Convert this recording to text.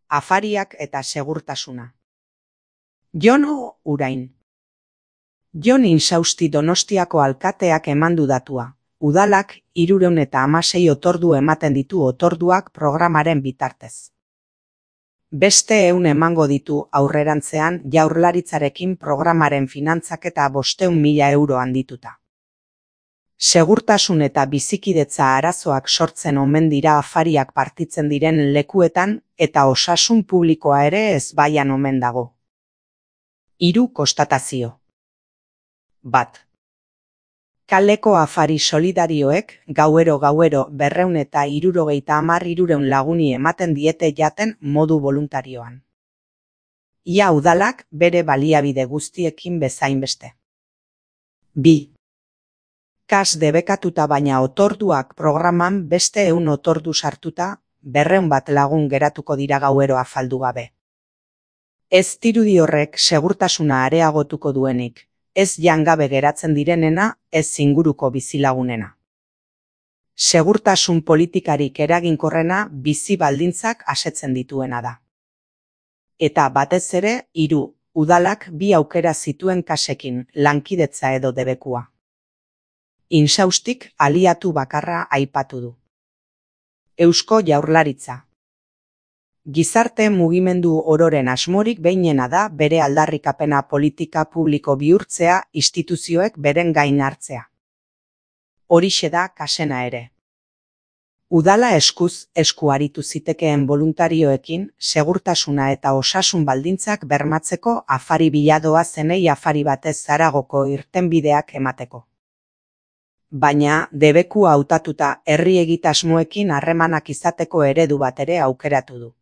afariak eta segurtasuna. Jon Urain. Jon Insausti Donostiako alkateak emandu datua. Udalak 316 otordu ematen ditu otorduak programaren bitartez. Beste 100 emango ditu aurrerantzean Jaurlaritzarekin programaren finantzaketa 500.000 euro handituta. Segurtasun eta bizikidetza arazoak sortzen omen dira afariak partitzen diren lekuetan eta osasun publikoa ere ezbaian omen dago. 3 konstatazio. 1. Kaleko afari solidarioek gauero 270 laguni ematen diete jaten modu voluntarioan. Ia udalak bere baliabide guztiekin bezain beste. 2. Kas debekatuta baina otorduak programan beste 100 otordu sartuta, 200 lagun geratuko dira gauero afaldu gabe. Ez dirudi horrek segurtasuna areagotuko duenik, ez jangabe geratzen direnena, ez inguruko bizilagunena. Segurtasun politikarik eraginkorrena bizi baldintzak asetzen dituena da. Eta batez ere, 3, udalak 2 aukera zituen kasekin, lankidetza edo debekua. Insaustik aliatu bakarra aipatu du. Eusko Jaurlaritza. Gizarte mugimendu ororen asmorik behinena da bere aldarrikapena politika publiko bihurtzea instituzioek beren gain hartzea. Horixe da kasena ere. Udala eskuz esku aritu zitekeen voluntarioekin segurtasuna eta osasun baldintzak bermatzeko afari biladoa zenei afari batez zaragoko irtenbideak emateko. Baina debekua hautatuta herri egitasmoekin harremanak izateko eredu bat ere aukeratu du.